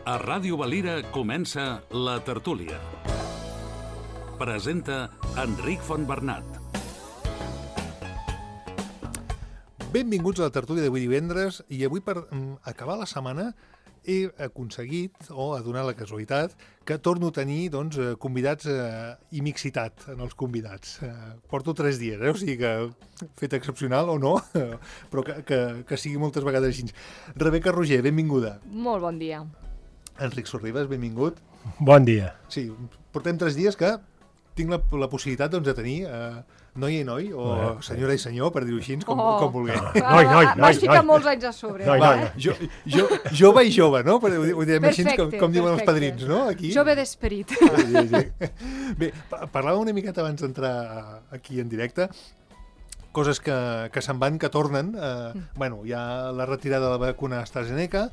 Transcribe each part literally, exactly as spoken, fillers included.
A Ràdio Valira comença La Tertúlia. Presenta Enric Fontbernat. Benvinguts a La Tertúlia d'avui divendres, i avui per acabar la setmana he aconseguit, o ha donat la casualitat, que torno a tenir doncs, convidats eh, i mixitat en els convidats. Eh, porto tres dies, eh? O sigui que fet excepcional o no, però que, que, que sigui moltes vegades així. Rebeca Roger, benvinguda. Molt bon dia. Enric Sorribes, benvingut. Bon dia. Sí, portem tres dies que tinc la, la possibilitat doncs, de tenir eh, noia i noi, o eh, senyor i senyor, per dir-ho així, com, Oh. com vulgueu. Noi, noi, noi. Vas ficar noi. molts anys a sobre. Noi, eh? noi. Jo, jo, jove i jove, no? Per, ho direm així com, com diuen els perfecte. padrins, no? Aquí. Jove d'esperit. Sí, sí, sí. Bé, pa- parlàvem una miqueta abans d'entrar aquí en directe, coses que, que se'n van, que tornen. Eh, Mm. bueno, hi ha la retirada de la vacuna AstraZeneca,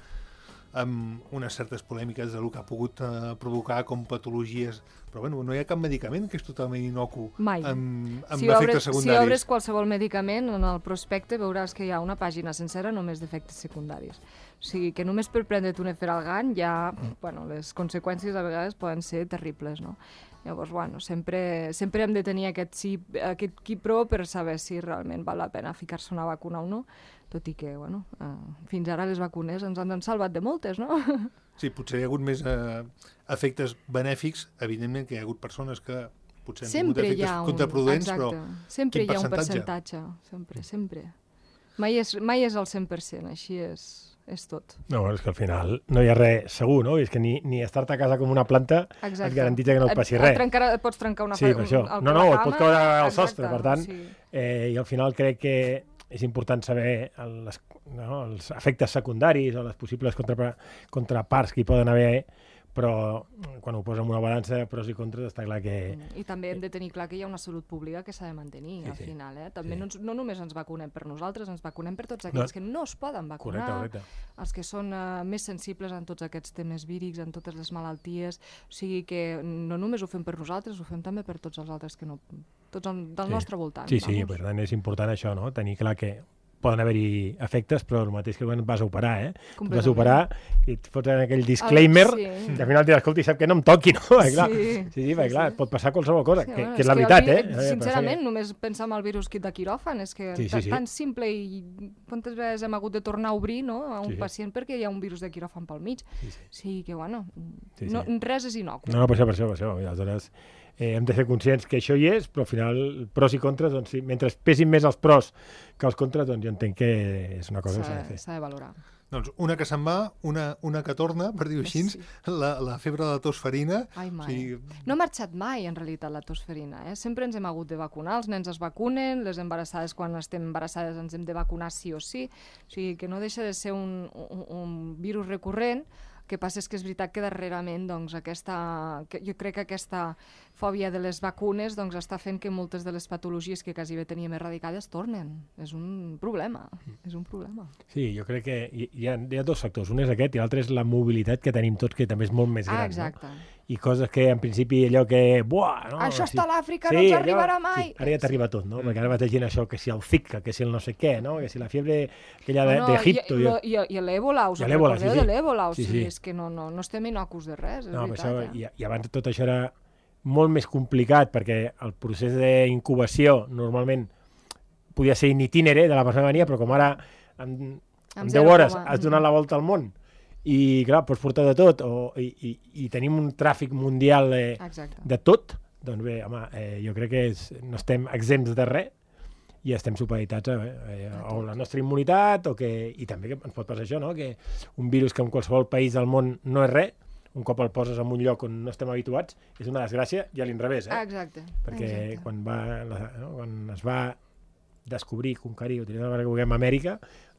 amb unes certes polèmiques del que ha pogut eh, provocar com patologies, però bueno, no hi ha cap medicament que és totalment inocu Mai. amb, amb Si efectes obres, si secundaris. obres qualsevol medicament, en el prospecte veuràs que hi ha una pàgina sencera només d'efectes secundaris. O sigui, que només per prendre't un eferalgan ja, bueno, les conseqüències a vegades poden ser terribles, no? Llavors, bueno, sempre, sempre hem de tenir aquest, sí, aquest quipró per saber si realment val la pena ficar-se una vacuna o no, tot i que, bueno, eh, fins ara les vacunes ens han salvat de moltes, no? Sí, potser hi ha hagut més eh, efectes benèfics, evidentment que hi ha hagut persones que potser han Sempre tingut hi efectes ha un... contraproduents, Exacte. però sempre quin hi ha un percentatge? percentatge. Sempre, sempre. Mai és, mai és el cent per cent, així és, és tot. No, bueno, és que al final no hi ha res segur, no? És que ni, ni estar-te a casa com una planta Exacte. et garantitza que no et passi Et, res. et, trencarà, et pots trencar una Sí, fa- per això. el- No, no, la et pot cama, caure al exacte, sostre, per tant, sí. eh, i al final crec que és important saber el, les, no, els efectes secundaris o les possibles contra, contraparts que hi poden haver, però quan ho posa en una balança, pros i contres, està clar que... I també hem de tenir clar que hi ha una salut pública que s'ha de mantenir, Sí, al sí. final. Eh? També Sí. no, ens, no només ens vacunem per nosaltres, ens vacunem per tots aquells No. que no es poden vacunar, Correcte, correcte. els que són uh, més sensibles en tots aquests temes vírics, en totes les malalties, o sigui que no només ho fem per nosaltres, ho fem també per tots els altres que no... tots el, del Sí. nostre voltant. Sí, sí, vamos. per tant és important això, no? Tenir clar que poden haver-hi efectes, però el mateix que quan vas a operar, eh? Tu vas a operar i et fots en aquell disclaimer sí. i al final diràs, escolta, i sap que no em toqui, no? Perquè, clar, Sí, sí, sí, sí, perquè, clar, sí. pot passar qualsevol cosa, Sí, que, bueno, que és és la que veritat, el eh? vi- Eh, Sincerament, que... només pensar en el virus kit de quiròfan, és que Sí, sí, ta- sí. tan simple i quantes vegades hem hagut de tornar a obrir, no?, a un Sí, sí. pacient perquè hi ha un virus de quiròfan pel mig. Sí, sí. Sí, que bueno, Sí, no, sí. res és inocu. No, no, per això, per això, per això. I aleshores eh, hem de ser conscients que això hi és, però al final pros i contres, doncs sí, mentre pesin més els pros que els contres, doncs jo entenc que és una cosa que s'ha de S'ha fer. s'ha de valorar. Doncs una que se'n va, una, una que torna, per dir-ho així, Sí. la, la febre de la tosferina. Ai, mai. O sigui, No ha marxat mai, en realitat, la tosferina. Eh? Sempre ens hem hagut de vacunar, els nens es vacunen, les embarassades, quan estem embarassades, ens hem de vacunar sí o sí. O sigui, que no deixa de ser un, un, un virus recurrent. El que passa és que és veritat que darrerament doncs, aquesta, que jo crec que aquesta fòbia de les vacunes doncs, està fent que moltes de les patologies que quasi bé teníem erradicades tornen. És un problema, és un problema. Sí, jo crec que hi, hi, ha, hi ha dos factors. Un és aquest i l'altre és la mobilitat que tenim tots, que també és molt més gran. Ah, exacte. No? I coses que, en principi, allò que... Buah, no? Això sí. està a l'Àfrica, no ens allò- arribarà mai. Sí, ara ja t'arriba tot, no? Perquè ara vas llegint això, que si el Zika, que si el no sé què, no? Que si la fiebre aquella de- No, d'Egipto... I, No, i, i, i l'èbola, us I en l'èbola, recordeu sí, de sí. l'èbola? O Sí, sigui, sí. és que no, no, no estem inocus de res, és no, veritat. això, eh? i, I abans tot això era molt més complicat, perquè el procés d'incubació normalment podia ser in itinere de la persona que venia, però com ara en, en Amb deu zero hores coma. has donat la volta al món i, clar, pots portar de tot, o, i, i, i tenim un tràfic mundial eh, Exacte. de tot, doncs bé, home, eh, jo crec que és, no estem exempts de res i estem supeditats a, eh, a la nostra immunitat, o que, i també que ens pot passar això, no? Que un virus que en qualsevol país del món no és res, un cop el poses en un lloc on no estem habituats, és una desgràcia i a l'inrevés, eh? Ah, exacte. Perquè exacte. quan, va, la, no? quan es va descobrir, conquerir, utilitzar la paraula que vulguem, Amèrica,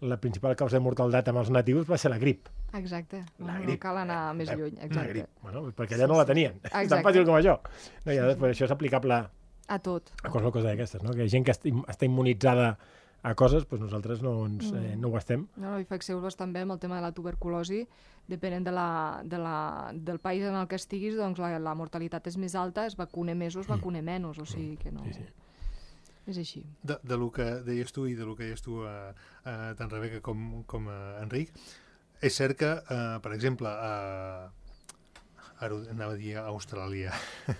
la principal causa de mortalitat amb els natius va ser la grip. Exacte. La No, grip. no cal anar més La- lluny. La Exacte. grip, bueno, perquè allà no la tenien. És tan Exacte. fàcil com això. No, i després això és aplicable A tot. a qualsevol cosa d'aquestes, no? Que hi ha gent que esti- està immunitzada a coses, doncs nosaltres no, ens, eh, no ho estem. No, no, i fixeu-vos també amb el tema de la tuberculosi, depenent de la, de la, del país en el que estiguis, doncs la, la mortalitat és més alta, es vacune més o es vacune menys, o sigui que no... Sí, sí. És així. De, de lo que deies tu i de lo que deies tu, eh, eh, tant Rebeca com, com eh, Enric, és cert que, eh, per exemple, a, ara anava a dir a Austràlia,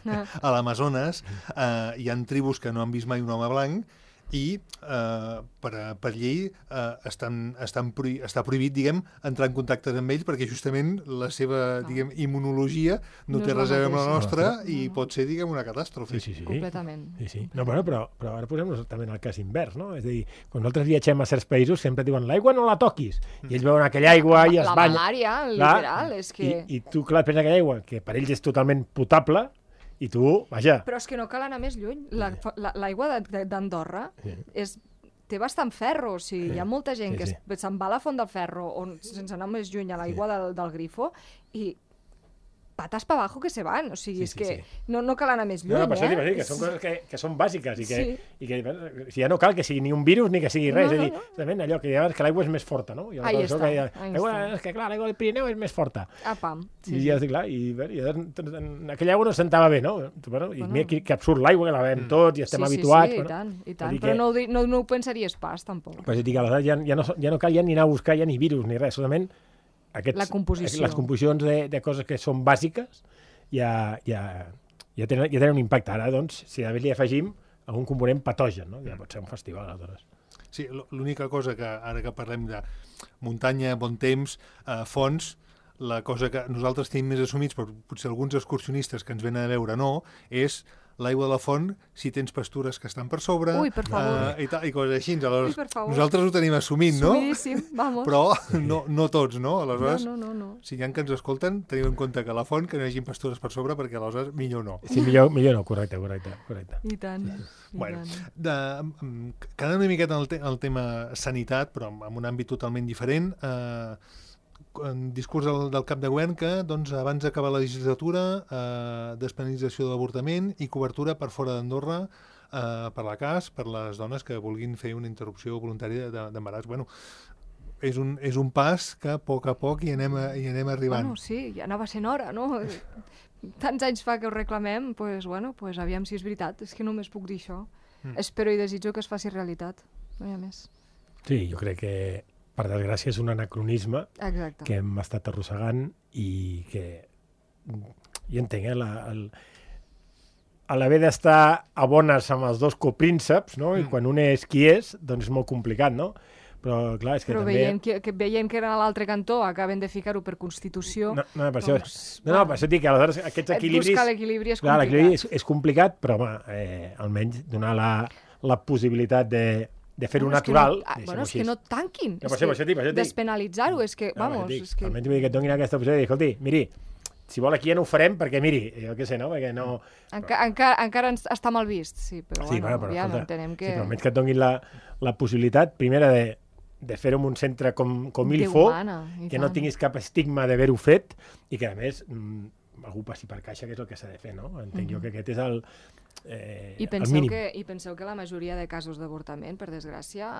ah. a l'Amazones eh, hi ha tribus que no han vist mai un home blanc i eh, per, per llei eh, estan, estan prohi, està prohibit, diguem, entrar en contacte amb ells perquè justament la seva, ah. diguem, immunologia no, no té res a veure amb la nostra no, i no. pot ser, diguem, una catàstrofe. Sí, sí, sí. Completament. Sí, sí. No, bueno, però, però ara posem-nos també en el cas invers, no? És a dir, quan nosaltres viatgem a certs països sempre diuen l'aigua no la toquis, i ells veuen aquella aigua i es la banyen. La malària, literal, és que... I, i tu, clar, penses aquella aigua, que per ells és totalment potable, i tu, vaja... Però és que no cal anar més lluny. L'aigua la, la, d'Andorra sí. és, té bastant ferro, o sigui, sí. hi ha molta gent sí, que sí. se'n va a la Font del Ferro, on, sense anar més lluny, a l'aigua sí. del, del grifo, i patas para abajo que se van, o sigui, sí, és sí, que sí. No, no cal anar més lluny, no, no, eh? Dir, que són coses que, que són bàsiques i que, sí. i que si ja no cal que sigui ni un virus ni que sigui res, no, no, no. és a dir, allò que, que l'aigua és més forta, no? I ahí està, que ja, ahí l'aigua, està. És que clar, l'aigua del Pirineu és més forta. Ah, pam. Sí, I ja, clar, i, i, i aquella aigua no sentava bé, no? Bueno, I bueno. Mira que, que absurd l'aigua, que la bevem mm. tots i estem sí, habituats. Sí, sí, bueno, i tant, i tant. Però que... no, ho, no, no ho pensaries pas, tampoc. Pues dic, aleshores ja, ja, no, ja no cal ja ni anar a buscar ja ni virus ni res, solament aquests, la composició. les composicions de, de coses que són bàsiques ja, ja, ja, tenen, ja tenen un impacte. Ara, doncs, si a més li afegim algun component patogen, no? Ja pot ser un festival, aleshores. Sí, l'única cosa que, ara que parlem de muntanya, bon temps, eh, fonts, la cosa que nosaltres tenim més assumits, però potser alguns excursionistes que ens venen a veure no, és l'aigua de la font, si tens pastures que estan per sobre... Ui, per favor. Eh, i, ta, i coses així. Aleshores, Ui, per favor. nosaltres ho tenim assumint, no? Assumidíssim, vamos. Però no, no tots, no? Aleshores, no, no, no, no. si hi ha que ens escolten, tenim en compte que a la font que no hi hagi pastures per sobre, perquè aleshores millor no. Sí, millor, millor no, correcte, correcte. correcte. I tant. Sí. I bueno, tant. De, quedant una miqueta en el, te el tema sanitat, però en un àmbit totalment diferent, eh, en discurs del, del cap de govern que doncs, abans d'acabar la legislatura eh, despenalització de l'avortament i cobertura per fora d'Andorra eh, per la C A S, per les dones que vulguin fer una interrupció voluntària d'embaràs. Bueno, és un, és un pas que a poc a poc hi anem, a, hi anem arribant. Bueno, sí, ja anava sent hora, no? Tants anys fa que ho reclamem, pues, bueno, pues, aviam si és veritat, és que només puc dir això. Mm. Espero i desitjo que es faci realitat, no hi ha més. Sí, jo crec que per desgràcia és un anacronisme Exacte. Que hem estat arrossegant i que, jo entenc, eh, la, el, a l'haver d'estar a bones amb els dos coprínceps, no? Mm. I quan un és qui és, doncs és molt complicat, no? Però, clar, és que Però també... veient que, que, veient que era a l'altre cantó, acaben de ficar-ho per Constitució... No, no, per, doncs, això, no, no, per això dic que aleshores aquests equilibris... Buscar l'equilibri és clar, complicat. L'equilibri és, és complicat, però, home, eh, almenys donar la, la possibilitat de... de fer-ho bueno, natural... És que no, bueno, és que no tanquin. No, és que, que despenalitzar-ho, és que, no, vamos... dic, és que... almenys vull dir que et donin aquesta opció de dir, escolti, miri, si vol aquí ja no ho farem, perquè miri, jo què sé, no? Perquè no... Enca encara, encara està mal vist, sí, però sí, bueno, però, ja escolta, entenem que... Sí, però almenys que et donin la, la possibilitat, primera, de, de fer-ho en un centre com, com Ilfo, que no tinguis cap estigma d'haver-ho fet, i que, a més, algú passi per caixa, que és el que s'ha de fer, no? Entenc mm-hmm. jo que aquest és el... Eh, I, penseu que, I penseu que la majoria de casos d'avortament, per desgràcia,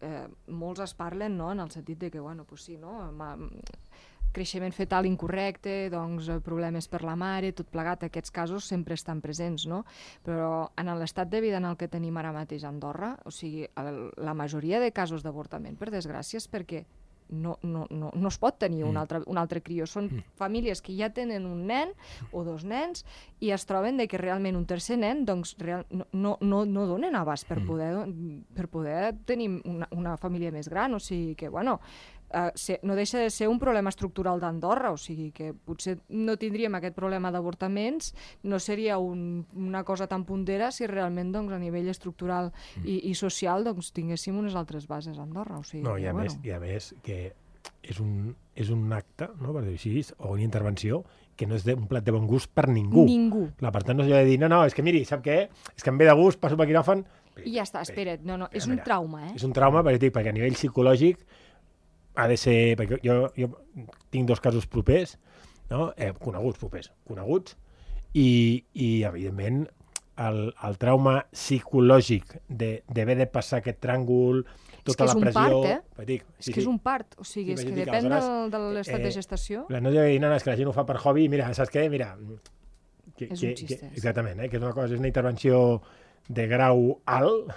eh, molts es parlen, no?, en el sentit de que, bueno, pues sí, no?, creixement fetal incorrecte, doncs problemes per la mare, tot plegat, aquests casos sempre estan presents, no? Però en l'estat de vida en el que tenim ara mateix a Andorra, o sigui, el, la majoria de casos d'avortament, per desgràcia, és perquè no, no, no, no es pot tenir un altre, un altre crió. Són famílies que ja tenen un nen o dos nens i es troben de que realment un tercer nen doncs, real, no, no, no, no donen abast per poder, per poder tenir una, una família més gran. O sigui que, bueno, Uh, se, no deixa de ser un problema estructural d'Andorra, o sigui que potser no tindríem aquest problema d'avortaments, no seria un, una cosa tan puntera si realment doncs, a nivell estructural i, i social doncs, tinguéssim unes altres bases a Andorra. O sigui, no, i a, que, més, bueno. i a més que és un, és un acte, no, per dir així, o una intervenció que no és de, un plat de bon gust per ningú. Ningú. Clar, per tant, no s'ha de dir, no, no, és que miri, sap què? És que em ve de gust, passo per quiròfan... I ja està, espera't, no, no, és un trauma, eh? És un trauma, perquè, perquè a nivell psicològic ha de ser... Perquè jo, jo tinc dos casos propers, no? eh, coneguts propers, coneguts, i, i evidentment, el, el trauma psicològic d'haver de passar aquest tràngol, tota la pressió... És que és un part, eh? Dic, sí, és que sí. és un part, o sigui, és que depèn del, de l'estat eh, de gestació. No deia dir, no, no, és que la gent ho fa per hobby, mira, saps què? Mira... Que, és que, un xiste. Que, exactament, eh? que és una cosa, és una intervenció de grau alt,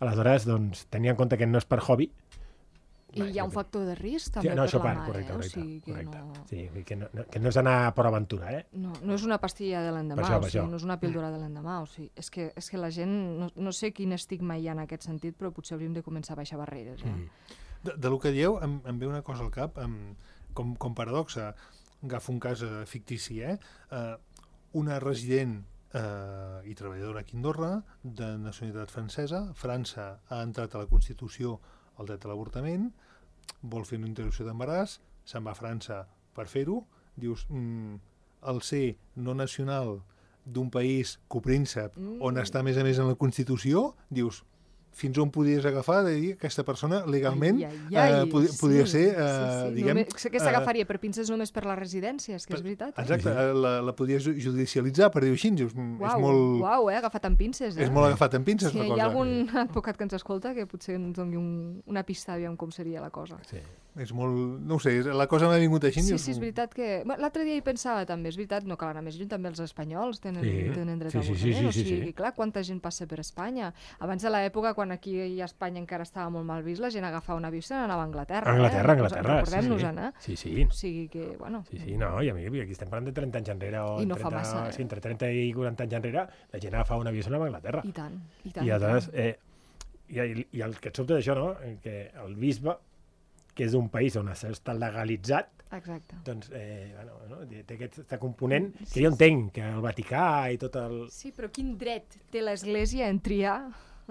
aleshores, doncs, tenir en compte que no és per hobby, I hi ha un factor de risc, també, sí, no, per la part, mare. Correcte, eh? correcte, O sigui que correcte. no... Sí, que no, que no és anar per aventura, eh? No, no és una pastilla de l'endemà, Per això, o per sigui, això. no és una píldora de l'endemà. O sigui, és, que, és que la gent, no, no sé quin estigma hi ha en aquest sentit, però potser hauríem de començar a baixar barreres. Eh? Mm. De, de lo que dieu, em, em ve una cosa al cap, em, com, com paradoxa. Agafo un cas eh, fictici, eh? eh? Una resident eh, i treballadora aquí a Andorra, de nacionalitat francesa. França ha entrat a la Constitució el dret a l'avortament, vol fer una interrupció d'embaràs, se'n va a França per fer-ho, dius, mm, el ser no nacional d'un país copríncep, mm. on està a més a més en la Constitució, dius, fins on podies agafar de dir que aquesta persona legalment ai, ai, ai, eh, pod sí, podria ser, eh, sí, sí. diguem... Només, que s'agafaria per pinces només per la residència, és que és veritat. Eh? Exacte, eh, la, la podies judicialitzar, per dir-ho així, dius, mm, Uau, és molt... uau, eh? Agafat amb pinces, eh? És molt agafat amb pinces, Si la hi cosa. ha algun advocat que ens escolta que potser ens doni un, una pista, aviam com seria la cosa. Sí. És molt... No ho sé, la cosa m'ha vingut així. Sí, dius, sí, és veritat que... Bueno, l'altre dia hi pensava també, és veritat, no cal anar més lluny, també els espanyols tenen, Sí. tenen dret Sí, a sí, l'avortament, sí, o sí, sigui, sí. clar, quanta gent passa per Espanya. Abans de l'època, quan aquí a Espanya encara estava molt mal vist, la gent agafava un avió i se n'anava a Anglaterra. Anglaterra, eh? Anglaterra, sí, Recordem-nos-en, sí. eh? Sí, sí. O sigui que, bueno... Sí, sí, no, i a mi, aquí estem parlant de trenta anys enrere, o I no fa trenta, massa, eh? sí, entre trenta i quaranta anys enrere, la gent agafava un avió i se n'anava a Anglaterra. I tant, i tant. I aleshores, eh, i, i el que et sobta d'això, no?, que el bisbe, que és d'un país on això està legalitzat, Exacte. doncs, eh, bueno, no, té aquest component que jo entenc, que el Vaticà i tot el... Sí, però quin dret té l'Església en triar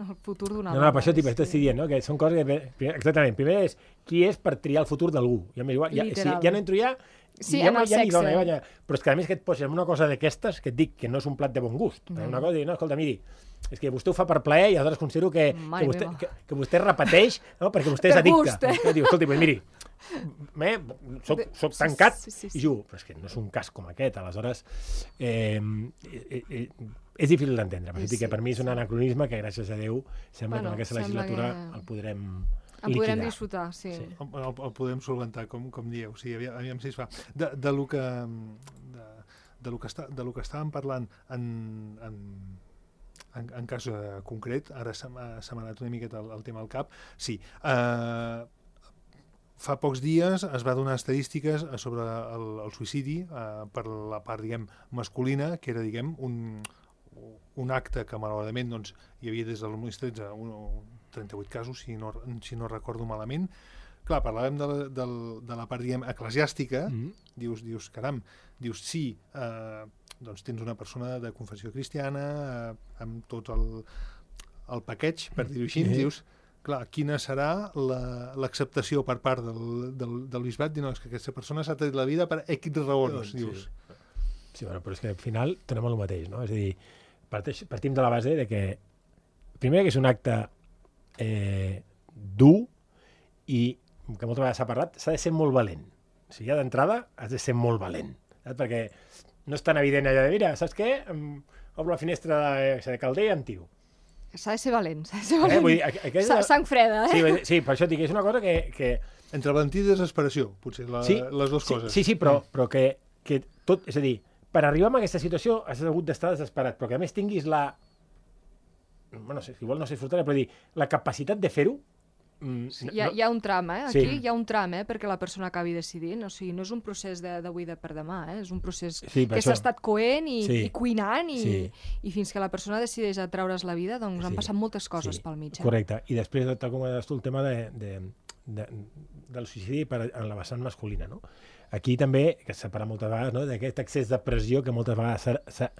el futur d'una No, no, per això t'hi estic dient, no? Que són coses que... Primer, exactament, primer és qui és per triar el futur d'algú. Ja, igual, ja, si, ja no entro ja... Sí, ja en no, el ja sexe. Dona, ja, però és que a més que et posis en una cosa d'aquestes, que et dic que no és un plat de bon gust. No. Una cosa, no, escolta, miri, és que vostè ho fa per plaer i aleshores considero que, Mare que, vostè, meva. que, que vostè repeteix, no? Perquè vostè és Per addicte. gust, eh? No? Diu, escolta, pues, miri, eh, soc, soc tancat sí, sí, sí, sí. i jugo. Però és que no és un cas com aquest. Aleshores, eh, eh, eh, és difícil d'entendre. Per Sí, sí, que per mi és un sí. anacronisme que, gràcies a Déu, sembla Bueno, que en aquesta sembla legislatura que- el podrem En podrem liquidar. disfrutar, sí. Sí. El, el, el podem solventar, com, com dieu. Sí, aviam, aviam si es fa. De, de, lo que, de, de, lo que està, de lo que estàvem parlant en, en, en, en cas eh, concret, ara se m'ha se m'ha anat una miqueta el, el tema al cap. Sí, eh, fa pocs dies es va donar estadístiques sobre el, el suïcidi eh, per la part, diguem, masculina, que era, diguem, un, un acte que malauradament doncs, hi havia des del dos mil tretze un, trenta-vuit casos, si no, si no recordo malament. Clar, parlàvem de la, de, de la part, diguem, eclesiàstica, Mm. dius, dius, caram, dius, sí, eh, doncs tens una persona de confessió cristiana, eh, amb tot el, el paquet, per dir-ho així, Sí. dius, clar, quina serà la- l'acceptació per part del, del, del bisbat? Dir, no, és que aquesta persona s'ha tret la vida per X raons, Sí. dius. Sí, bueno, però és que al final tenim el mateix, no? És a dir, parteix, partim de la base de que, primer, que és un acte eh, dur i, que moltes vegades s'ha parlat, s'ha de ser molt valent. O sigui, ja d'entrada has de ser molt valent, saps? Perquè no és tan evident allò de, mira, saps què? Em, obro la finestra de, de calder i em tiro. S'ha de ser valent, s'ha de ser Eh? valent. Vull dir, aqu- aquella- Sa- Sang freda, eh? Sí, vull dir, sí, per això et dic, és una cosa que... que Entre valentia i desesperació, potser, la, sí, les dues sí, coses. Sí, sí, però, però que, que tot... És a dir, per arribar a aquesta situació has hagut d'estar desesperat, però que a més tinguis la... Bueno, no sé, igual no sé disfrutar, però dir, la capacitat de fer-ho... Mm, Sí, hi, ha, hi ha un tram, eh? Sí. Aquí hi ha un tram, eh? Perquè la persona acabi decidint. O sigui, no és un procés de- d'avui de per demà, eh? És un procés Sí, per que això. s'ha estat coent i, Sí. i cuinant i, Sí. i fins que la persona decideix a treure's la vida, doncs han Sí. passat moltes coses Sí, pel mig. Eh? Correcte. I després, tal com deies tu, el tema de, de, de, del suïcidi per, en la vessant masculina. No? Aquí també, que s'ha parlat moltes vegades, no? d'aquest excés de pressió que moltes vegades s'ha- s'ha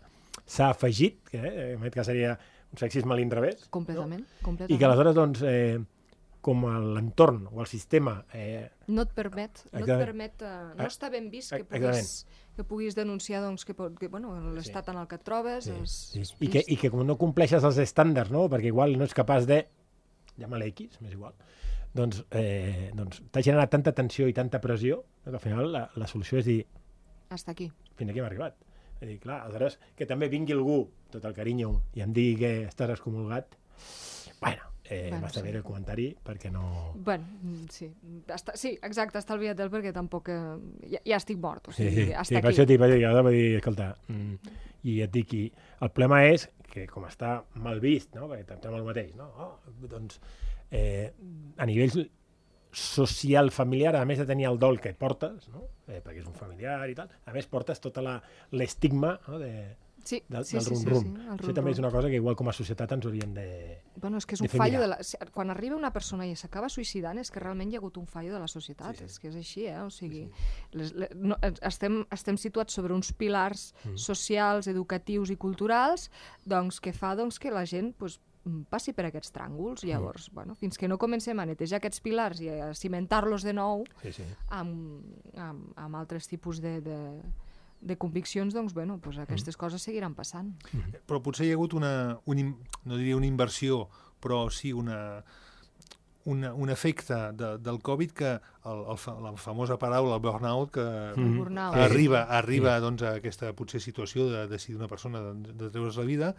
s'ha afegit, que eh, en aquest cas seria un sexisme a l'inrevés, Completament, no? completament. I que aleshores, doncs, eh, com l'entorn o el sistema... Eh, No et permet, no et Exactament. permet, eh, no Ah, està ben vist que exactament. puguis, que puguis denunciar doncs, que, pot- que bueno, l'estat en el que et trobes sí, és, sí. és I, que, I que com no compleixes els estàndards, no? perquè igual no ets capaç de... Llama-la X, m'és igual. Doncs, eh, doncs t'ha generat tanta tensió i tanta pressió que al final la, la solució és dir Hasta aquí. fins aquí hem arribat. És dir, clar, aleshores, que també vingui algú, tot el carinyo, i em digui que estàs excomulgat, bueno, eh, Bueno, m'està sí. bé el comentari, perquè no... Bueno, mm, sí, està, sí, exacte, estalvia't-el perquè tampoc... Eh, ja, ja estic mort, o Sí, sigui, sí, hasta sí per aquí. això t'hi vaig dir, jo vaig dir, escolta, mm, i et dic, i el problema és que com està mal vist, no? perquè estem amb el mateix, no? Oh, doncs, eh, a nivell social familiar, a més de tenir el dol que portes, no? eh, perquè és un familiar i tal, a més portes tota l'estigma, no? de, sí, del, sí, del sí, rum-rum. sí, sí, el Això rum-rum. també és una cosa que igual com a societat ens hauríem de, Bueno, és que és de un fer fallo de mirar. la... Quan arriba una persona i s'acaba suïcidant és que realment hi ha hagut un fallo de la societat, Sí, sí. és que és així, eh? O sigui, les, les, no, estem, estem situats sobre uns pilars Mm. socials, educatius i culturals, doncs que fa doncs, que la gent pues, passi per aquests tràngols. Llavors, bueno, fins que no comencem a netejar aquests pilars i a cimentar-los de nou Sí, sí. amb, amb, amb altres tipus de, de, de conviccions, doncs, bueno, pues aquestes coses seguiran passant. Però potser hi ha hagut una, un, im- no diria una inversió, però sí una, una, un efecte de, del Covid que el, el, fa- la famosa paraula, el burnout, que Mm. Burnout. arriba, arriba doncs, a aquesta potser situació de decidir una persona de, de treure's la vida.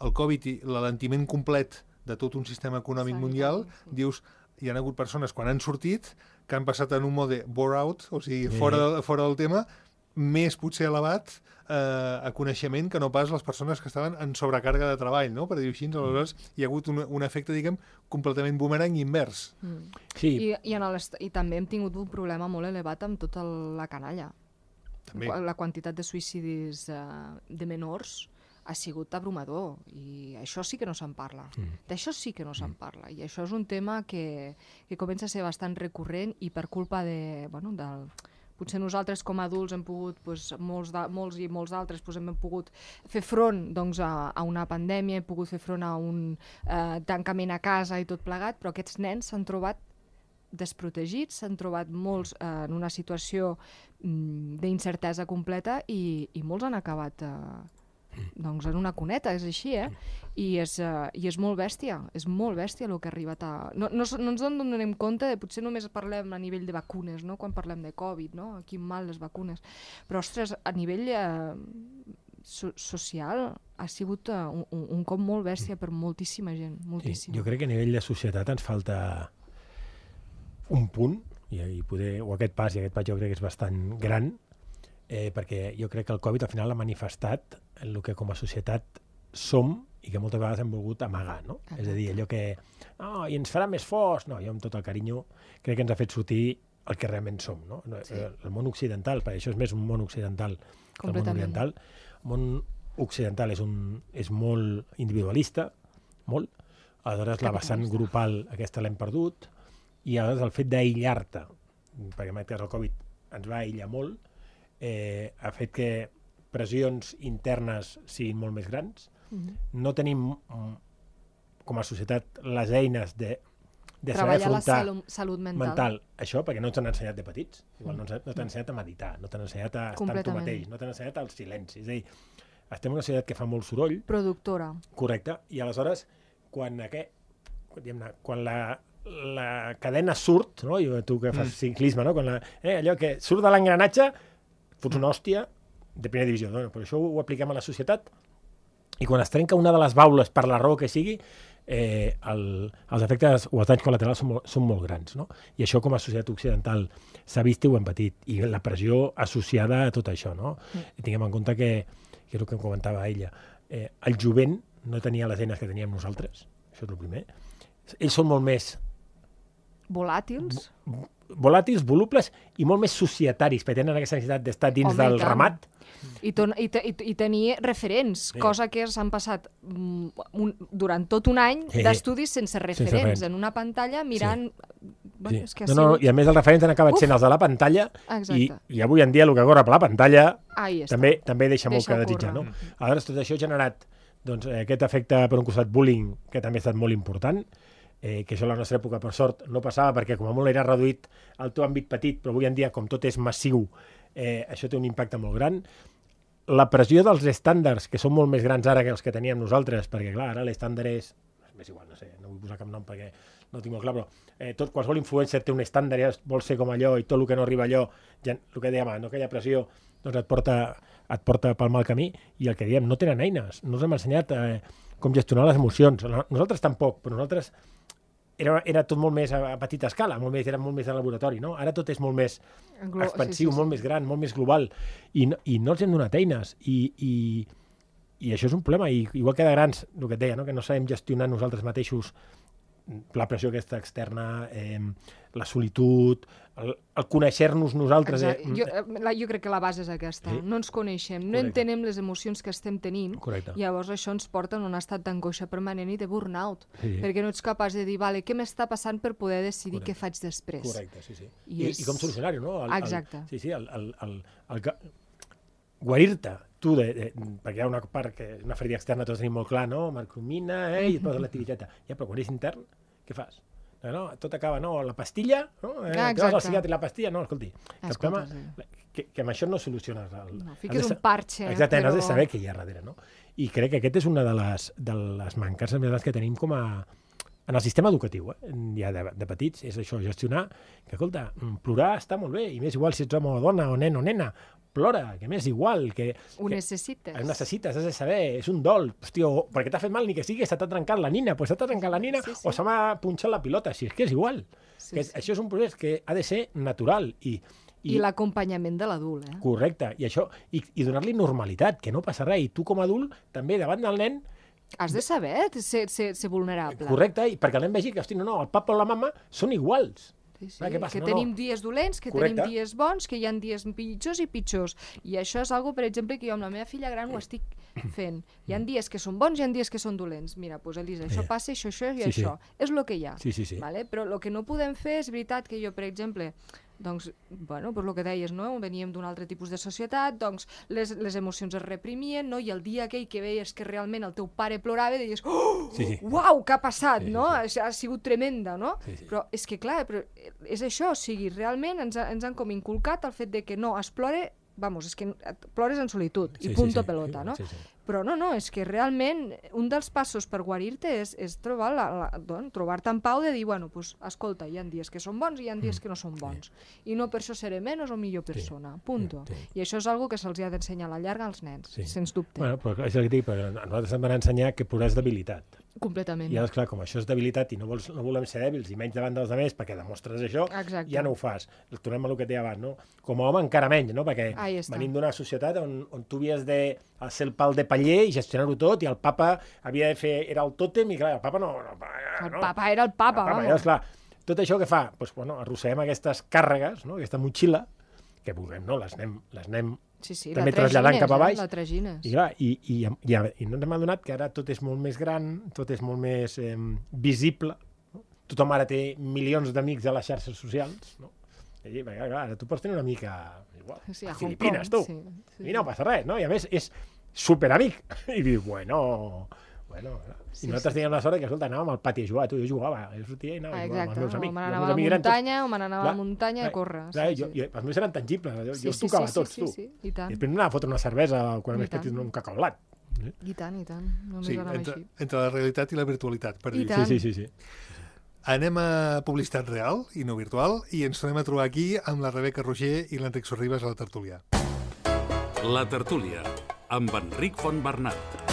El Covid i l'alentiment complet de tot un sistema econòmic Sanitari, mundial, sí. dius, hi ha hagut persones quan han sortit que han passat en un mode bore out, o sigui, Sí. fora, de, fora del tema, més potser elevat eh, a coneixement que no pas les persones que estaven en sobrecàrrega de treball, no? Per dir-ho així, aleshores hi ha hagut un, un efecte, diguem, completament boomerang invers. Mm. Sí, I, i, en el, I també hem tingut un problema molt elevat amb tota la canalla. També. La quantitat de suïcidis eh, de menors ha sigut abrumador i això sí que no se'n parla. Mm. D'això sí que no se'n parla i això és un tema que, que comença a ser bastant recurrent i per culpa de, bueno, del, potser nosaltres com a adults hem pogut, doncs, molts, de, molts i molts altres doncs, hem pogut fer front doncs, a, a una pandèmia, hem pogut fer front a un eh, tancament a casa i tot plegat, però aquests nens s'han trobat desprotegits, s'han trobat molts eh, en una situació mm, d'incertesa completa i, i molts han acabat eh, doncs en una cuneta, és així, eh? I és, uh, i és molt bèstia, és molt bèstia el que ha arribat a... No, no, no ens en donem compte, de, potser només parlem a nivell de vacunes, no? Quan parlem de Covid, no? Quin mal les vacunes. Però, ostres, a nivell uh, so social ha sigut uh, un, un cop molt bèstia per moltíssima gent, sí. moltíssima. Jo crec que a nivell de societat ens falta un punt, i, i poder, o aquest pas, i aquest pas jo crec que és bastant gran, eh, perquè jo crec que el Covid al final ha manifestat el que com a societat som i que moltes vegades hem volgut amagar, no? Exacte. És a dir, allò que oh, i ens farà més forts, no, jo amb tot el carinyo crec que ens ha fet sortir el que realment som, no? Sí. El, el món occidental, perquè això és més un món occidental que el món Completament. oriental. El món occidental és, un, és molt individualista, molt, aleshores la vessant Capitalista. grupal aquesta l'hem perdut, i aleshores el fet d'aïllar-te, perquè en aquest cas el Covid ens va aïllar molt, eh, ha fet que pressions internes siguin molt més grans. Mhm. No tenim, mm, com a societat, les eines de, de saber Treballar la afrontar salut, salut mental. mental això, perquè no t'han ensenyat de petits. Igual no, ens- no t'han ensenyat a meditar, no t'han ensenyat a estar amb tu Completament. mateix, no t'han ensenyat al silenci. És a dir, estem en una societat que fa molt soroll, Productora. correcte, i aleshores, quan, aquest, diguem-ne, quan la, la cadena surt, no? I tu que fas ciclisme, no? Quan la, eh, allò que surt de l'engranatge, fots una hòstia de primera divisió. No? Però això ho apliquem a la societat i quan es trenca una de les baules per la raó que sigui, eh, el, els efectes o els danys col·laterals són molt, són molt grans. No? I això com a societat occidental s'ha vist i ho hem patit. I la pressió associada a tot això. No? Mm. I tinguem en compte que, que és el que em comentava ella, eh, el jovent no tenia les eines que teníem nosaltres, això és el primer. Ells són molt més Volàtils. volàtils, volubles i molt més societaris, perquè tenen aquesta necessitat d'estar dins Home, i del tant. ramat. I, ton, i, te, i, i tenir referents, Sí. cosa que s'han passat mm, un, durant tot un any Sí. d'estudis sense referents, referents. en una pantalla mirant... Bueno, és que ha No, no, sigut... i a més els referents han acabat Uf. sent els de la pantalla i, Exacte. i avui en dia el que corre per la pantalla Ahí està. també també deixa, molt Deixa que desitjar. No? córrer. Aleshores, tot això ha generat doncs, eh, aquest efecte, per un costat, bullying, que també ha estat molt important, eh, que això a la nostra època, per sort, no passava, perquè com a molt era reduït al teu àmbit petit, però avui en dia, com tot és massiu, eh, això té un impacte molt gran. La pressió dels estàndards, que són molt més grans ara que els que teníem nosaltres, perquè, clar, ara l'estàndard és... És igual, no sé, no vull posar cap nom perquè no ho tinc molt clar, però eh, tot, qualsevol influencer té un estàndard, ja vol ser com allò, i tot el que no arriba a allò, ja, el que dèiem, no aquella pressió, doncs et porta, et porta pel mal camí, i el que diem, no tenen eines, no us hem ensenyat eh, com gestionar les emocions. Nosaltres tampoc, però nosaltres era, era tot molt més a, a petita escala, molt més, era molt més de laboratori, no? Ara tot és molt més Glo- expansiu, sí, sí, molt sí. més gran, molt més global, i no, i no els hem donat eines, i, i, i això és un problema, i igual que de grans, el que et deia, no? Que no sabem gestionar nosaltres mateixos la pressió aquesta externa, eh, la solitud, el, el conèixer-nos nosaltres... Eh, eh, jo, la, jo crec que la base és aquesta. Sí? No ens coneixem, no Correcte. entenem les emocions que estem tenint, Correcte. i llavors això ens porta en un estat d'angoixa permanent i de burnout, sí. perquè no ets capaç de dir, vale, què m'està passant per poder decidir Correcte. què faig després. Correcte, sí, sí. I, I, és... i com solucionar-ho, no? El, Exacte. El, sí, sí, el, el, el, el, el guarir-te, tu, de, de, perquè hi ha una part que una ferida externa tots tenim molt clar, no? Marcromina, eh, i et poses l'activitat. Ja, però quan és intern, què fas? No, no, tot acaba, no, la pastilla, no? Eh, ah, que vas al psiquiatre i la pastilla, no, escolti, que, Escolta, problema, sí. que, que amb això no soluciones el... No, fiques un parxe. Exacte, però... has de saber què hi ha darrere, no? I crec que aquest és una de les, de les mancances més grans que tenim com a... en el sistema educatiu, eh? ja de, de petits, és això, gestionar, que, escolta, plorar està molt bé, i més igual si ets home o dona, o nen o nena, plora, que m'és igual, que... Ho que, necessites. Ho necessites, has de saber, és un dol. Hòstia, o perquè t'ha fet mal ni que sigui, se t'ha trencat la nina, doncs se t'ha trencat la nina, sí, sí. o se m'ha punxat la pilota, si és que és igual. Sí, que és, sí. Això és un procés que ha de ser natural i... I, I l'acompanyament de l'adult, eh? Correcte, i això, i, i donar-li normalitat, que no passa res, i tu com a adult, també davant del nen, has de saber ser, ser, ser vulnerable. Correcte, i perquè el nen vegi que, hosti, no, no, el papa o la mama són iguals. Sí, sí. Ah, que no, tenim no. dies dolents, que Correcte. tenim dies bons, que hi ha dies pitjors i pitjors. I això és algo, per exemple, que jo amb la meva filla gran ho estic fent. Hi ha dies que són bons i hi ha dies que són dolents. Mira, doncs, Elisa, això passa, això, això i sí, això. Sí. És el que hi ha. Sí, sí, sí. Vale? Però el que no podem fer és veritat que jo, per exemple, doncs, bueno, per el que deies, no? Veníem d'un altre tipus de societat, doncs les, les emocions es reprimien, no? I el dia aquell que veies que realment el teu pare plorava, deies, oh, sí, sí. uau, què ha passat, sí, no? Sí, sí. Ha sigut tremenda, no? Sí, sí. Però és que, clar, però és això, o sigui, realment ens, ha, ens han com inculcat el fet de que no, es plore, vamos, és que plores en solitud, sí, i punto sí, sí. pelota, no? Sí, sí. Però no, no, és que realment un dels passos per guarir-te és, és trobar la, la, doncs, trobar-te en pau de dir, bueno, pues, escolta, hi ha dies que són bons i hi ha dies que no són bons. Sí. I no per això seré menys o millor persona, sí. punto. Sí. I això és algo que se'ls ha d'ensenyar a la llarga als nens, sí. sens dubte. Bueno, però és el que dic, perquè a nosaltres ens van ensenyar que plorar és debilitat. Completament. I llavors, clar, com això és debilitat i no, vols, no volem ser dèbils i menys davant dels altres perquè demostres això, Exacte. ja no ho fas. Tornem a el que et deia abans, no? Com a home encara menys, no? Perquè venim d'una societat on, on tu havies de ser el pal de paller i gestionar-ho tot, i el papa havia de fer... Era el tòtem, i clar, el papa no... no, no el papa era el papa, el papa llavors, clar, tot això que fa? Doncs, bueno, arrosseguem aquestes càrregues, no? Aquesta motxilla, que vulguem, no? Les anem, les anem sí, sí, també traslladant cap a baix. Eh? La tragines. I, clar, i, i, i, i no ens hem adonat que ara tot és molt més gran, tot és molt més eh, visible. No? Tothom ara té milions d'amics a les xarxes socials, no? I, clar, ara tu pots tenir una mica... Igual, sí, a a Filipines, tu. Sí, sí. I no passa res, no? I a més és superamic. I dius, bueno... Bueno, sí, i nosaltres sí. teníem la sort que, escolta, anàvem al pati a jugar, tu, jo jugava, jo sortia i anava ah, a jugar amb els meus amics. O me n'anava a la muntanya, o me n'anava a la muntanya a córrer. Clar, sí, jo, sí. jo, els meus eren tangibles, jo, sí, jo els tocava sí, tots, sí, tu. Sí, sí, i tant. I després m'anava a fotre una cervesa quan m'he fet un cacaolat. Eh? I tant, i tant, només sí, anava entre, així. Entre la realitat i la virtualitat, per I dir. tant. Sí, sí, sí, sí. Anem a publicitat real i no virtual i ens tornem a trobar aquí amb la Rebeca Roger i l'Enric Sorribas a la tertúlia. La tertúlia, amb Enric Fontbernat.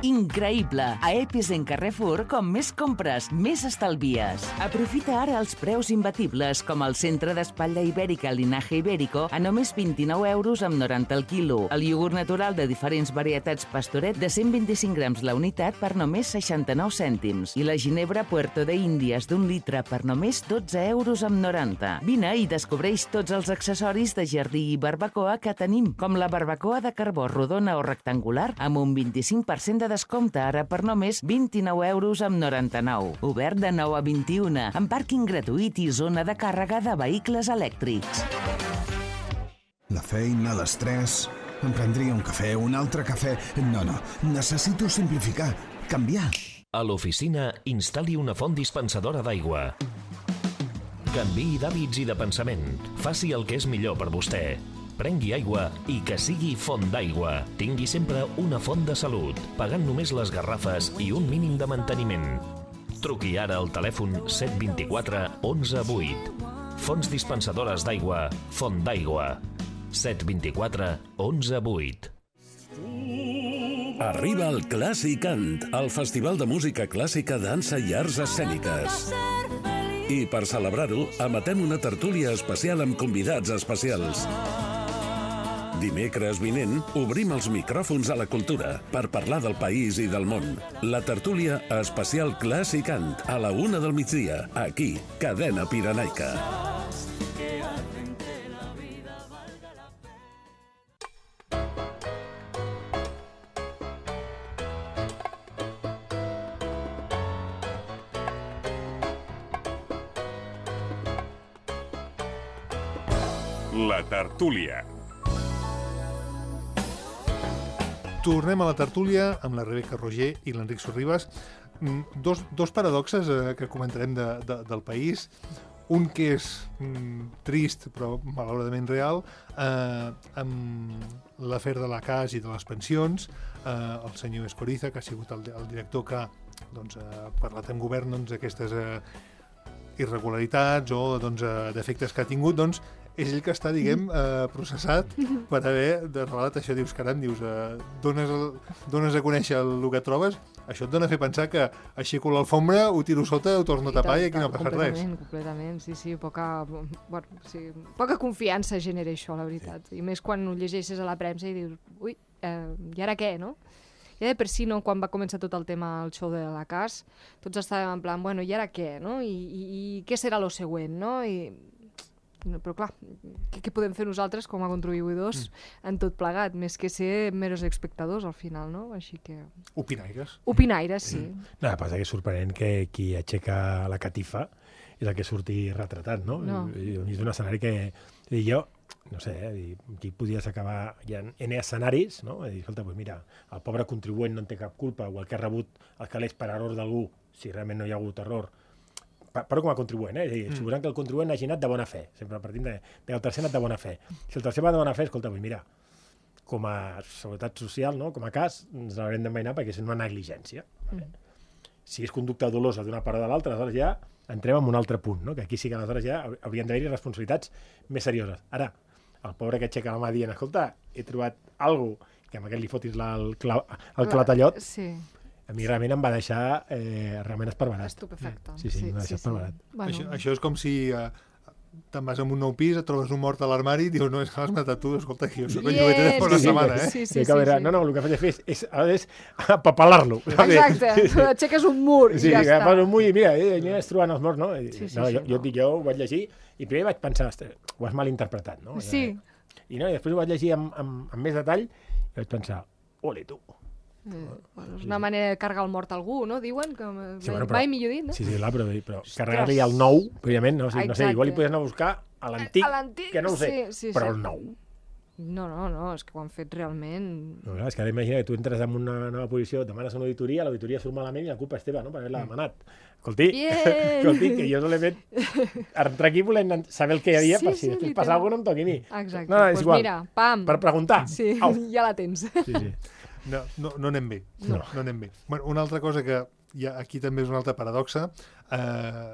Increïble! A Episen Carrefour, com més compres, més estalvies. Aprofita ara els preus imbatibles, com el centre d'espatlla ibèrica Linaje Ibérico, a només vint-i-nou euros amb noranta el quilo. El iogurt natural de diferents varietats Pastoret de cent vint-i-cinc grams la unitat per només seixanta-nou cèntims. I la ginebra Puerto de Índies d'un litre per només dotze euros amb noranta. Vine i descobreix tots els accessoris de jardí i barbacoa que tenim, com la barbacoa de carbó rodona o rectangular, amb un vint-i-cinc per cent de descompte ara per només vint-i-nou euros amb noranta-nou. Obert de nou a vint-i-una, amb pàrquing gratuït i zona de càrrega de vehicles elèctrics. La feina, l'estrès... Em prendria un cafè, un altre cafè... No, no, necessito simplificar, canviar. A l'oficina, instal·li una font dispensadora d'aigua. Canviï d'hàbits i de pensament. Faci el que és millor per vostè. Prengui aigua i que sigui font d'aigua. Tingui sempre una font de salut, pagant només les garrafes i un mínim de manteniment. Truqui ara al telèfon set dos quatre onze vuit. Fonts dispensadores d'aigua, Font d'aigua. set dos quatre onze vuit. Arriba el Clàssicant, el festival de música clàssica, dansa i arts escèniques. I per celebrar-ho, emetem una tertúlia especial amb convidats especials. Dimecres vinent obrim els micròfons a la cultura per parlar del país i del món. La tertúlia especial Clàssicant a la una del migdia, aquí, Cadena Pirenaica. La tertúlia. Tornem a la tertúlia amb la Rebeca Roger i l'Enric Sorribas. Dos, dos paradoxes eh, que comentarem de, de, del país. Un que és mm, trist, però malauradament real, eh, amb l'afer de la Cas i de les pensions. Eh, el senyor Escoriza, que ha sigut el, el director que doncs, ha parlat amb govern doncs, d'aquestes eh, irregularitats o doncs, eh, defectes que ha tingut, doncs, és ell que està, diguem, eh, processat per haver de revelat això. Dius, caram, dius, eh, dones, el, dones a conèixer el que trobes, això et dona a fer pensar que aixeco l'alfombra, ho tiro sota, ho torno a tapar i, i aquí no ha passat res. Completament, completament, sí, sí, poca, bueno, sí, poca confiança genera això, la veritat. I més quan ho llegeixes a la premsa i dius, ui, eh, i ara què, no? Ja de per si, no, quan va començar tot el tema, el show de la Cas, tots estàvem en plan, bueno, i ara què, no? I, i, i què serà lo següent, no? I... No, però clar, què, què podem fer nosaltres com a contribuïdors mm. en tot plegat, més que ser meros espectadors al final, no? Així que... Opinaires. Opinaires, sí. Mm. No, passa que és sorprenent que qui aixeca la catifa és el que surti retratat, no? No. És un escenari que... I jo, no sé, eh, aquí podries acabar... Hi ha N escenaris, no? I dir, escolta, doncs mira, el pobre contribuent no en té cap culpa, o el que ha rebut els calés per error d'algú, si realment no hi ha hagut error, però com a contribuent, eh? És a dir, suposant que el contribuent hagi anat de bona fe, sempre partint de, de el tercer ha anat de bona fe. Si el tercer va de bona fe, escolta, pues mira, com a seguretat social, no? Com a cas, ens l'haurem d'envainar perquè és una negligència. Vale? Mm. Si és conducta dolosa d'una part o de l'altra, aleshores ja entrem en un altre punt, no? Que aquí sí que aleshores ja haurien d'haver-hi responsabilitats més serioses. Ara, el pobre que aixeca la mà dient, escolta, he trobat alguna cosa que amb aquest li fotis la, el, cla, el clatallot, sí. A mi realment em va deixar eh, realment esparverat. Estupefacte. Sí, sí, sí, em va deixar sí, esparverat. Sí. Bueno. Això, això és com si eh, te'n vas a un nou pis, et trobes un mort a l'armari i dius, no, és que l'has matat tu, escolta, que jo soc el llogueter de fa una sí, setmana, eh? Sí, sí, sí, sí, sí. No, no, el que faig fer és, és, és apapelar-lo. Exacte, sí, sí. Aixeques un mur i sí, ja està. Sí, un mur i mira, eh, aniràs trobant els morts, no? I, sí, sí, no sí, jo, jo, no. jo ho vaig llegir i primer vaig pensar, ho has malinterpretat, no? Sí. I, no, i després ho vaig llegir amb, amb, amb més detall i vaig pensar, ole tu. Eh, bueno, és una manera de carregar el mort a algú, no? Diuen que sí, bueno, mai millor dit, no? Sí, sí, clar, però, però carregar-li el nou, òbviament, no? O sigui, no sé, igual li podies anar a buscar a l'antic, que no ho sé, sí, sí, però sí. El nou. No, no, no, és que ho han fet realment... No, clar, és que ara imagina que tu entres en una nova posició, demanes una auditoria, l'auditoria surt malament i la culpa és teva, no?, per haver-la demanat. Escolti, escolti, que jo no l'he fet... Entrar aquí volem saber el que hi havia, sí, per si sí, després passa alguna cosa no em toqui a mi. Exacte, no, no, pues igual. Mira, pam. Per preguntar. Sí, Au. ja la tens. Sí, sí. No, no, no anem bé. No, no anem bé. Bueno, una altra cosa que hi ha, aquí també és una altra paradoxa. Eh,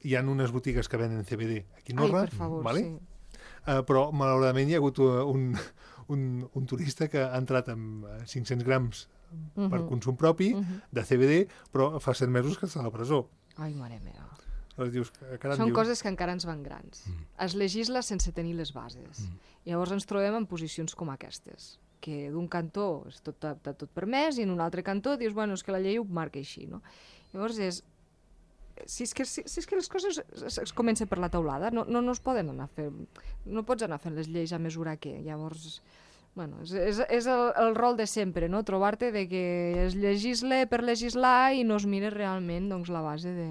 hi ha unes botigues que venen C B D aquí a Norra. Ai, per favor, vale? sí. Eh, però, malauradament, hi ha hagut un, un, un turista que ha entrat amb cinc-cents grams uh-huh. per consum propi uh-huh. de C B D, però fa set mesos que està a la presó. Ai, mare meva. Dius, caram, Són dius... coses que encara ens van grans. Mm. Es legisla sense tenir les bases. Mm. Llavors ens trobem en posicions com aquestes, que d'un cantó és tot, tot, tot permès i en un altre cantó dius, bueno, és que la llei ho marca així, no? Llavors és... Si és que, si, si és que les coses es, es comencen per la taulada, no, no, no es poden anar a fer... No pots anar fent les lleis a mesura que... Llavors... Bueno, és, és, és el, el rol de sempre, no? Trobar-te de que es legisle per legislar i no es mire realment doncs, la base de...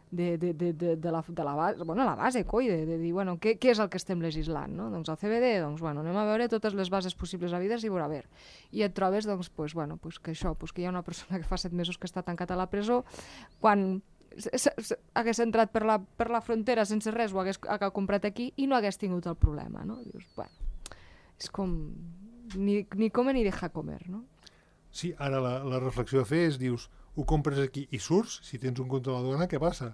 De, de, de, de, de, la, de la base, bueno, la base, coi, de, de dir, bueno, què, què és el que estem legislant, no? Doncs el C B D, doncs, bueno, anem a veure totes les bases possibles a vides i veurà a veure. I et trobes, doncs, pues, bueno, pues que això, pues que hi ha una persona que fa set mesos que està tancat a la presó, quan hagués entrat per la, per la frontera sense res, ho hagués, hagués comprat aquí i no hagués tingut el problema, no? Dius, bueno, és com... Ni, ni come ni deja comer, no? Sí, ara la, la reflexió a fer és, dius, ho compres aquí i surts, si tens un compte a la duana, què passa?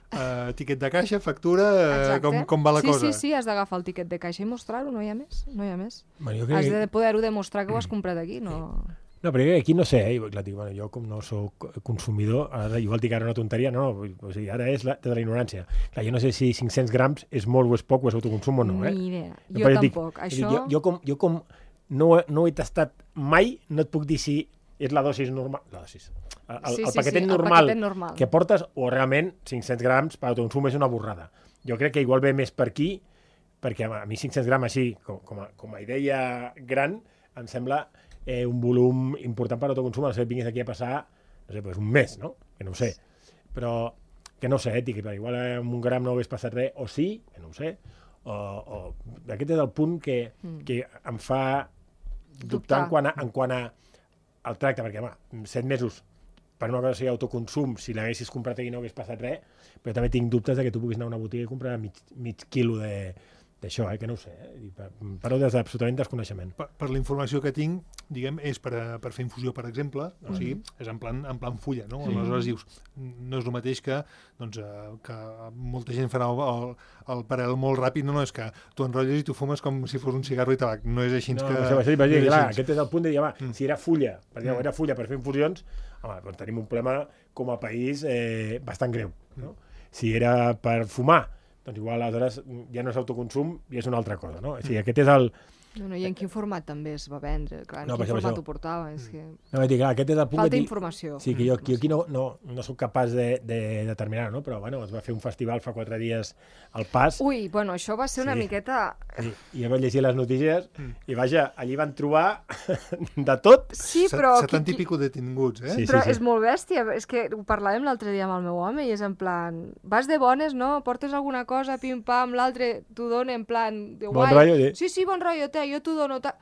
Uh, tiquet de caixa, factura, uh, com, com va la sí, cosa? Sí, sí, sí, has d'agafar el tiquet de caixa i mostrar-ho, no hi ha més, no hi ha més. Bueno, jo crec... Has de poder-ho demostrar que ho has comprat aquí, no... No, però aquí no sé, eh? Clar, dic, bueno, jo com no sóc consumidor, ara igual dic ara una tonteria, no, no, o sigui, ara és la, de la ignorància. Clar, jo no sé si cinc-cents grams és molt o és poc o és autoconsum o no, eh? Ni idea, No, jo però dic- tampoc. dic, Això... Jo, jo com, jo com no, ho- no ho he tastat mai, no et puc dir si és la dosis normal, la dosis, el, el, Sí, el sí, paquetet sí, el normal, paquetet normal. que portes o realment cinc-cents grams per autoconsum és una borrada. Jo crec que igual ve més per aquí, perquè a mi cinc-cents grams així, com, com, a, com a idea gran, em sembla eh, un volum important per autoconsum, a no ser que vinguis aquí a passar, no sé, pues un mes, no? Que no ho sé. Però que no ho sé, ètic, però igual amb un gram no hagués passat res, o sí, que no ho sé, o, o... aquest és el punt que, mm. que em fa dubtar, Dubtar. en quant a, en quant a el tracte, perquè, home, set mesos per una cosa sigui autoconsum, si l'haguessis comprat aquí no hagués passat res, però també tinc dubtes de que tu puguis anar a una botiga i comprar mig, mig quilo de d'això, eh, que no ho sé, eh? Parlo des absolutament desconeixement. Per, per la informació que tinc, diguem, és per, a, per fer infusió, per exemple, o sigui, és en plan, en plan fulla, no? Sí. Aleshores dius, no és el mateix que, doncs, eh, que molta gent farà el, el, el paral·lel molt ràpid, no, no, és que tu enrotlles i tu fumes com si fos un cigarro i tabac, no és així No, que... això, això, no és clar, així. aquest és el punt de dir, home, Mm. si era fulla, per dir, Mm. era fulla per fer infusions, home, doncs tenim un problema com a país eh, bastant greu, no? Si era per fumar, doncs igual aleshores ja no és autoconsum i és una altra cosa, no? O sigui, aquest és el... No, no, i en quin format també es va vendre? Clar, en No, quin per això, per format això. ho portava? És que... No, vull dir, clar, aquest és el punt Falta que dic- informació. Sí, que jo, jo aquí no, no, no soc capaç de, de determinar, no? Però, bueno, es va fer un festival fa quatre dies al Pas. Ui, bueno, això va ser una Sí. miqueta... Sí, i jo vaig llegir les notícies i, vaja, allí van trobar de tot. Sí, Set- però... setanta qui- i pico detinguts, eh? Sí, Però sí, sí. és molt bèstia, és que ho parlàvem l'altre dia amb el meu home i és en plan, vas de bones, no? Portes alguna cosa, pim-pam, l'altre t'ho dona en plan de Bon guai. rotllo, sí. Sí, sí, bon rotllo, te, jo t'ho dono. Ta...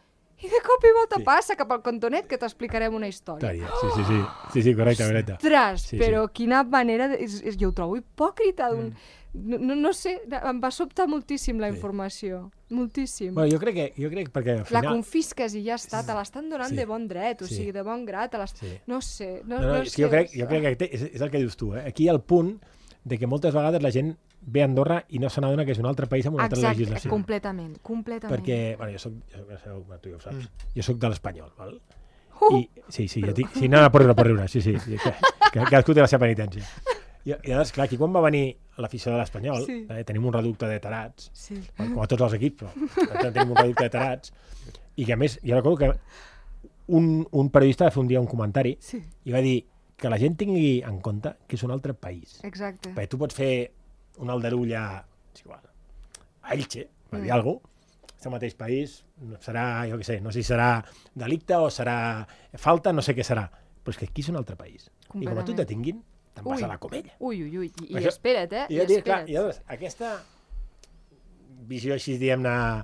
I de cop i volta Sí. passa cap al cantonet que t'explicarem una història. Història, sí, sí, sí. Sí, sí, correcte, correcte. Ostres, Sí, sí. però quina manera... De... És, és, jo ho trobo hipòcrita d'un... Mm. No, no, no sé, em va sobtar moltíssim la informació. Moltíssim. Bueno, jo crec que, jo crec perquè al La final... confisques i ja està, te l'estan donant Sí. de bon dret, o Sí. sigui, de bon grat, te l'est... Sí. No sé, no, No, no, no és sé. que jo crec, jo crec que té- és, és el que dius tu, eh? Aquí hi ha el punt de que moltes vegades la gent ve a Andorra i no se n'adona que és un altre país amb una altra Exacte, legislació. completament, completament. Perquè, bueno, jo soc, jo, jo, jo, bueno, tu ja ho saps, jo soc de l'Espanyol, val? Uh! I, sí, sí, jo dic, sí, no, no, pot riure, pot riure, sí, sí, sí que, que, cadascú té la seva penitència. I, i llavors, clar, aquí quan va venir l'afició de l'Espanyol, Sí. eh, tenim un reducte de tarats, Sí. com a tots els equips, però tenim un reducte de tarats, i que a més, jo recordo que un, un periodista va fer un dia un comentari Sí, i va dir que la gent tingui en compte que és un altre país. exacte. Perquè tu pots fer un aldarull a, és igual, a Elche, per dir Mm. alguna cosa, és el mateix país, no serà, jo què sé, no sé si serà delicte o serà falta, no sé què serà, però és que aquí és un altre país. I com a tu Completament. te tinguin, te'n vas Ui. a la comella. Ui, ui, ui, i, i Això- espera't, eh? I, I, jo dic, clar, espera't. i llavors, aquesta visió així, diguem-ne,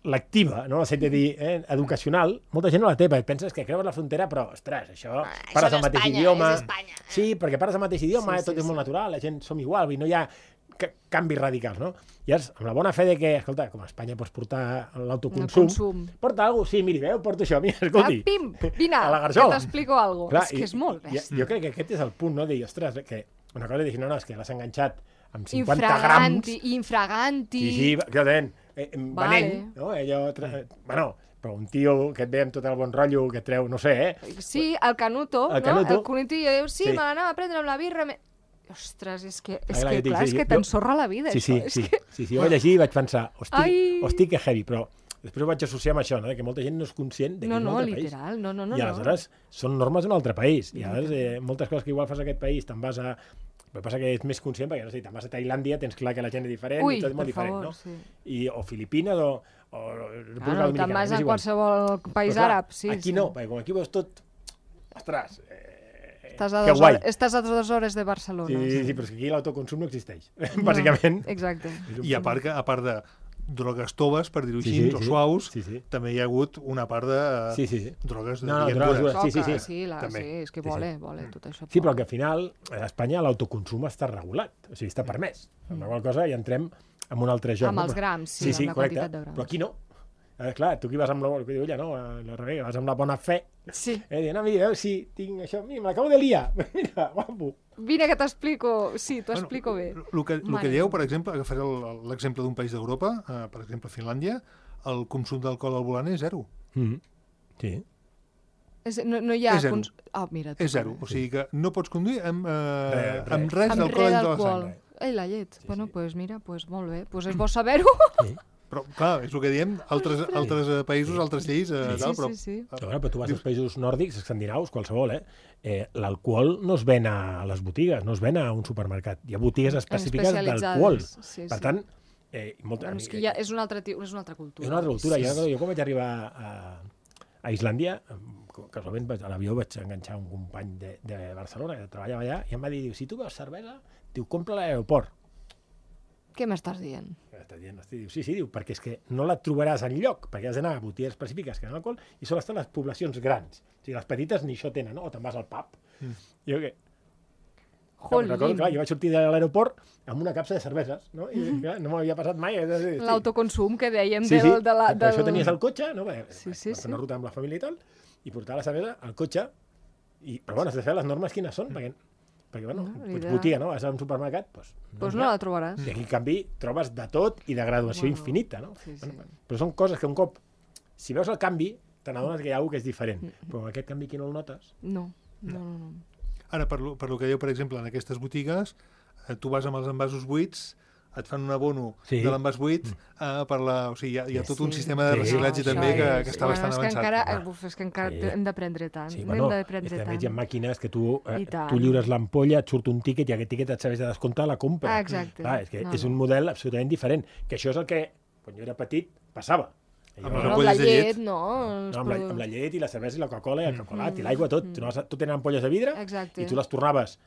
lectiva, no? Sent de dir, eh, educacional, molta gent no la té, perquè penses que creues la frontera, però, ostres, això, Ah, parles això el mateix d'Espanya, idioma... és Espanya. Sí, perquè parles el mateix idioma, Sí, eh, tot sí, és molt sí. natural, la gent som igual, vull dir, no hi ha ca- canvis radicals, no? I llavors, amb la bona fe de que, escolta, com a Espanya pots portar l'autoconsum, consum. porta alguna cosa, sí, miri, veu, porto això, mira, Ah, escolti. pim, vine, a la que garjola. t'explico alguna cosa. És que és molt i, bèstia. jo crec que aquest és el punt, no? De dir, ostres, que una cosa és dir, no, no, és que l'has enganxat amb cinquanta Infraganti, grams. infraganti. Sí, sí, clarament. Eh, venent, Vale. no? Allò, tra... Bueno, però un tio que et ve amb tot el bon rotllo, que et treu, no sé, eh? Sí, el Canuto, El no? Canuto. El Canuto i diu, sí, Sí. me l'anava a prendre amb la birra... Me... Ostres, és que, és clar, que jo dic, clar, sí, és que jo- t'ensorra la vida, Sí, sí, això. sí, És que... sí, sí, jo vaig llegir i vaig pensar, hosti, Ai. hosti, que heavy, però després ho vaig associar amb això, no? De que molta gent no és conscient de que No, és un no, altre país. literal, no, no, no. I no. aleshores són normes d'un altre país. I aleshores eh, moltes coses que igual fas a aquest país te'n vas a... El que passa que ets més conscient perquè, no sé, te'n vas a Tailàndia, tens clar que la gent és diferent Ui, i tot és molt per diferent, favor, no? sí. I, o Filipines o, o República Ah, no, Dominicana. te'n vas és a igual. qualsevol país Però, clar, àrab, sí. Aquí sí. no, perquè com aquí veus tot... Ostres, eh, Estàs a, que dos guai. hores, estàs a dues hores de Barcelona. Sí, sí, sí, però és que aquí l'autoconsum no existeix, No, bàsicament. Exacte. És un I a punt- part, que, a part de drogues toves, per dir-ho Sí, així, sí, o sí. suaus, Sí, sí. també hi ha hagut una part de eh, Sí, sí, sí. drogues de No, no, diguem, drogues dures. dures. Sí, sí, Coca, sí. sí, la, També. sí, és que Sí, sí. vole, vole, tot això. Sí, però que al final a Espanya l'autoconsum està regulat, o sigui, està permès. Amb la qual cosa ja entrem en un altre joc. Amb no? els grams, sí, sí, sí, amb la correcte. quantitat de grams. Però aquí no. Eh, clar, tu que vas amb la, que diu ella, no? Eh, La Rebecca, vas amb la bona fe. Sí. Eh, dient, no, mira, veus si tinc això, mira, me l'acabo de liar. Mira, guapo. Vine que t'explico, sí, t'ho explico bé. El que, el Mare que dieu, meva. per exemple, agafaré el- l'exemple d'un país d'Europa, eh, per exemple, Finlàndia, el consum d'alcohol al volant és zero. Mm -hmm. Sí. És, no, no hi ha... És zero. Cons... Oh, mira, És zero. O sigui que no pots conduir amb, eh, Res, res. amb res amb d'alcohol res dintre de la d'alcohol. sang. Ei, la llet. Sí, Bueno, sí. pues mira, pues molt bé. Pues és bo saber-ho. Sí. Però, clar, és el que diem, altres, altres eh, països, altres lleis, eh, Sí, tal, sí, però... sí, sí. Però, bueno, però tu vas als països nòrdics, escandinaus, qualsevol, eh? eh L'alcohol no es ven a les botigues, no es ven a un supermercat. Hi ha botigues específiques d'alcohol. Sí, Per sí. tant, eh, molta, Doncs que ja és una altra, és una altra cultura. és una altra cultura. Sí, Jo, sí. jo quan vaig arribar a, a Islàndia, casualment vaig- a l'avió vaig enganxar un company de, de Barcelona que treballava allà i em va dir, diu, si tu veus cervesa, diu, compra a l'aeroport. Què m'estàs dient? Està dient, hosti, diu, sí, sí, diu, perquè és que no la trobaràs enlloc, perquè has d'anar a botigues específiques que han alcohol i solen estar les poblacions grans. O sigui, les petites ni això tenen, no? O te'n vas al pub. Mm. Jo què? Jolín. Recordo, clar, jo vaig sortir de l'aeroport amb una capsa de cerveses, no? I clar, no m'havia passat mai. és a dir, sí. L'autoconsum que dèiem Sí, sí, del, de la... per això tenies el cotxe, no? Perquè Sí, sí, sí, sí, sí. una ruta amb la família i tal, i portar la cervesa al cotxe, i, però bueno, has de saber les normes quines són, perquè, perquè bueno, No, no, idea. botiga, no? Vas a un supermercat, doncs... Doncs no la trobaràs. I aquí, en canvi, trobes de tot i de graduació Bueno, infinita, no? sí, sí. Bueno, però són coses que un cop, si veus el canvi, te n'adones que hi ha alguna que és diferent. Però aquest canvi aquí no el notes. No, no, no. no. Ara, per, lo- per lo que diu, per exemple, en aquestes botigues, eh, tu vas amb els envasos buits, et fan un abono Sí. de l'envàs buit eh, per la... O sigui, hi ha, hi ha tot un Sí. sistema de Sí. reciclatge No, també això que, és- que està Bueno, bastant és que avançat. encara, Home. uf, és que encara Sí. hem d'aprendre tant. Sí, Hem bueno, és d'aprendre que a tant. més hi ha màquines que tu, eh, I tant. tu lliures l'ampolla, et surt un tíquet i aquest tíquet et serveix de descompte a la compra. Ah, exacte. Clar, és que No, és no. un model absolutament diferent. Que això és el que, quan jo era petit, passava. Amb Jo, les No, amb la ampolles de llet, llet. no. els no, amb, la, produ- amb la llet i la cervesa i la Coca-Cola i el xocolat i l'aigua, tot. Tu, anaves a- tu tenen ampolles de vidre Exacte. i tu les tornaves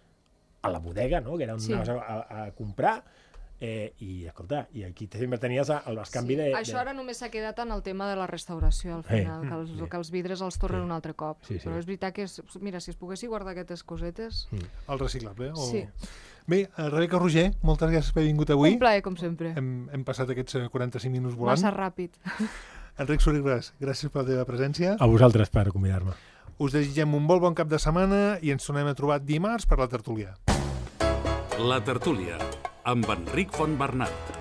a la bodega, no? Que era on Sí. anaves a, a, a comprar. Eh, I, escolta, i aquí sempre tenies el bescanvi Sí. de, de... Això ara només s'ha quedat en el tema de la restauració, al Eh, final, que, els, sí. que els vidres els tornen Sí. un altre cop. Sí, sí. Però és veritat que, és, mira, si es poguessi guardar aquestes cosetes... El reciclable. O... Sí. Bé, eh, Rebeca Roger, moltes gràcies per haver vingut avui. Un plaer, com sempre. Hem, hem passat aquests eh, quaranta-cinc minuts volant. Massa ràpid. Enric Sorigues, gràcies per la teva presència. A vosaltres per convidar-me. Us desitgem un molt bon cap de setmana i ens tornem a trobar dimarts per la tertúlia. La tertúlia, amb Enric Fontbernat.